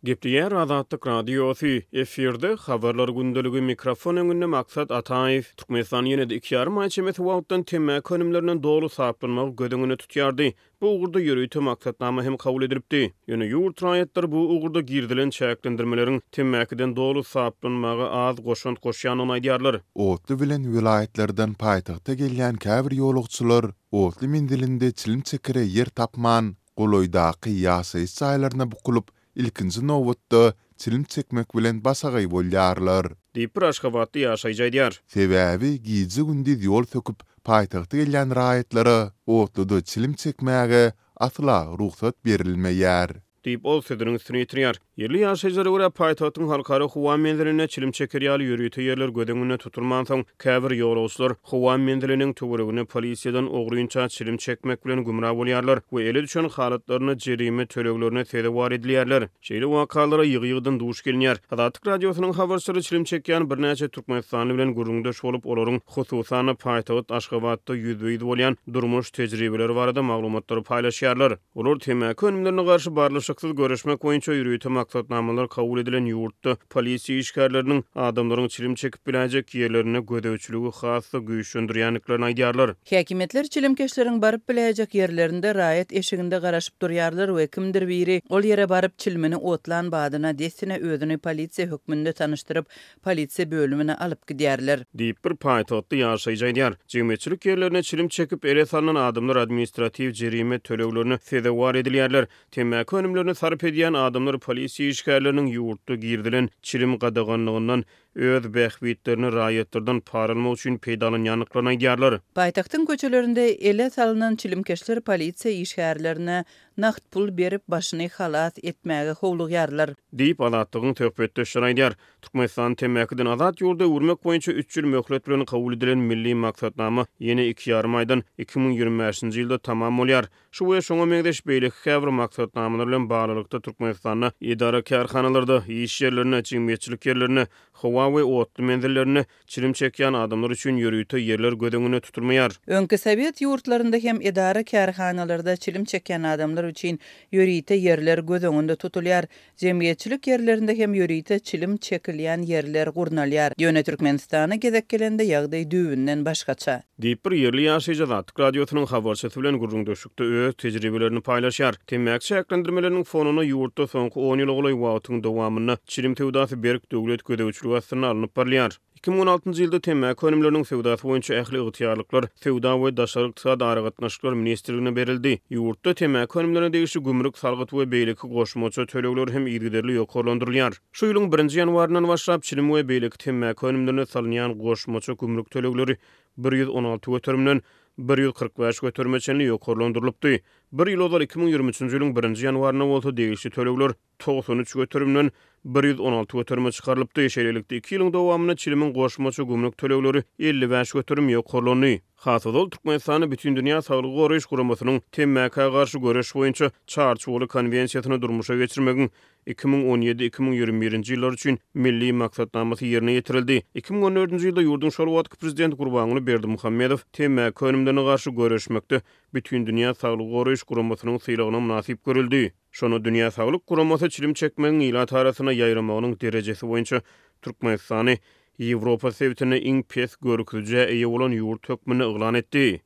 Gepleýär Azatlyk Radiosy, efirde Habarlar gündeligi, mikrofon öňünde Maksat Ataýew. Türkmenistan ýene-de iki ýarym aý çemesi wagtdan temmäki önümlerinden doly saplanmagy göz öňünde tutýardy. Bu ugurda ýörite maksatnama hem kabul edilipdi. Ýöne ýurt raýatlary bu ugurda girizilen çäklendirmeleriň temmäkiden doly saplanmaga az goşant goşýandygyny aýdýarlar. Otly bilen welaýatlardan paýtagta gelýän käbir ýolagçylar otly menzilinde çilim çekere ýer tapman, golaýdaky ýaşaýyş jaýlaryna bukulyp, ilkinji nobatda çilim çekmek bilen başagaý bolýarlar. Diýip, bir aşgabatly ýaşaýjy aýdýar. Sebäbi gije-gündiz ýol söküp, paýtagta gelýän raýatlara otluda çilim çekmäge asla rugsat berilmeýär. Diýip, ol sözüniň üstüni ýetirýär. Ýerli ýaşaýjylara görä, paýtagtyň halkara howa menzilinde çilim çeker ýaly ýörite ýerler göz öňünde tutulmansoň, käbir ýolagçylar howa menziliniň töwereginde polisiýadan ogrynça çilim çekmek bilen gümra bolýarlar we ele düşen halatlarynda jerime töleglerine sezewar edilýärler. Şeýle wakalara ýygy-ýygydan duş gelinýär. Azatlyk Radiosynyň habarçylary çilim çekýän birnäçe türkmenistanly bilen gürrüňdeş bolup, olaryň, hususan-da, paýtagt Aşgabatda ýüzbe-ýüz bolýan durmuş tejribeleri barada maglumatlary paýlaşýarlar. Olar temmäki önümlerine garşy barlyşyksyz göreşmek boýunça ýörite maksatnamalar kabul edilen ýurtda polisiýa işgärleriniň adamlaryň çilim çekip biläýjek ýerlerinde gözegçiligi has-da güýçlendirýändiklerini aýdýarlar. Häkimiýetler çilimkeşleriň baryp biläýjek ýerlerinde raýat eşiginde garaşyp durýarlar we kimdir biri ol ýere baryp çilimini otlan badyna dessine özüni polisiýa hökmünde tanyşdyryp, polisiýa bölümine alyp gidýärler. Diýip, bir paýtagtly ýaşaýjy aýdýar. Jemgyýetçilik ýerlerinde çilim çekip, ele salnan adamlar administratiw jerime töleglerine sezewar edilýärler. Temmäki önümlerini sarp edýän adamlar polisiýa işgärleriniň ýurtda girizilen çilim gadaganlygyndan öz bähbitlerini raýatlardan para almak üçin peýdalanýandyklaryny aýdýarlar. Paýtagtyň köçelerinde ele salnan çilimkeşler polisiýa işgärlerine nagt pul berip, başyny halas etmäge howlugýarlar. Diýip, Azatlygyň söhbetdeşleri aýdýar. Türkmenistany temmäkiden azat ýurda öwürmek boýunça üç ýyl möhlet bilen kabul edilen Milli maksatnama ýene iki ýarym aýdan, 2025-nji ýylda tamam bolýar. Şu we şoňa meňzeş beýleki käbir maksatnamalar bilen baglylykda Türkmenistanda edara-kärhanalarda, iş ýerlerinde, jemgyýetçilik ýerlerinde, howa we otly menzillerinde çilim çekýän adamlar üçin ýörite ýerler göz öňünde tutulmaýar. Öňki sowet ýurtlarynda hem edara-kärhanalarda çilim çekýän adamlar üçin ýörite ýerler göz öňünde tutulýar. Jemgyýetçilik ýerlerinde hem ýörite çilim çekilýän ýerler gurnalýar. Ýöne Türkmenistana gezek gelende ýagdaý düýbünden başgaça. Diýip, bir ýerli ýaşaýjy Azatlyk Radiosynyň habarçysy bilen gürrüňdeşlikde öz tejribelerini paýlaşýar. Temmäki çäklendirmeleriniň fonunda ýurtda soňky on ýyla golaý wagtyň dowamynda çilim söwdasy berk döwlet gözegçiligi astynda alnyp barylýar. 2016-njy ýylda temmäki önümleriniň söwdasy boýunça ähli ygtyýarlyklar Söwda we daşary ykdysady aragatnaşyklar ministrligine berildi. Ýurtda temmäki önümlerine degişli gümrük salgyt we beýleki goşmaça tölegler hem yzygiderli ýokarlandyrylýar. Şu ýylyň birinji ýanwaryndan başlap çilim we beýleki temmäki önümlerine salynýan goşmaça gümrük tölegleri 116 göterimden 145 göterime çenli ýokarlandyrylypdy. Bir ýyl ozal 2023-nji ýylyň birinji ýanwarynda bolsa degişli tölegler 93 göterimden 116 göterime çykarylypdy. Şeýlelikde, iki ýylyň dowamynda çilimiň goşmaça gümrük tölegleri 55% ýokarlandy. Has ozal Türkmenistanda Bütindünýä Saglygy Goraýyş Guramasynyň temmäkä garşy göreş boýunça Çarçuwaly konwensiýasyny durmuşa geçirmegiň 2017, 2021-nji ýyllar üçin Milli maksatnamasy ýerine ýetirildi. 2014-nji ýylda ýurduň şol wagtky Prezidenti Gurbanguly Berdimuhamedow temmäki önümlerine garşy göreşmekde Bütindünýä Saglygy Goraýyş Guramasynyň sylagyna mynasyp görüldi. Şonda Dünýä Saglyk Guramasy çilim çekmegiň ilat arasynda ýaýramagynyň derejesi boýunça Türkmenistany Ýewropa sebitinde iň pes görkezijä eýe bolan ýurt hökmünde yglan etdi.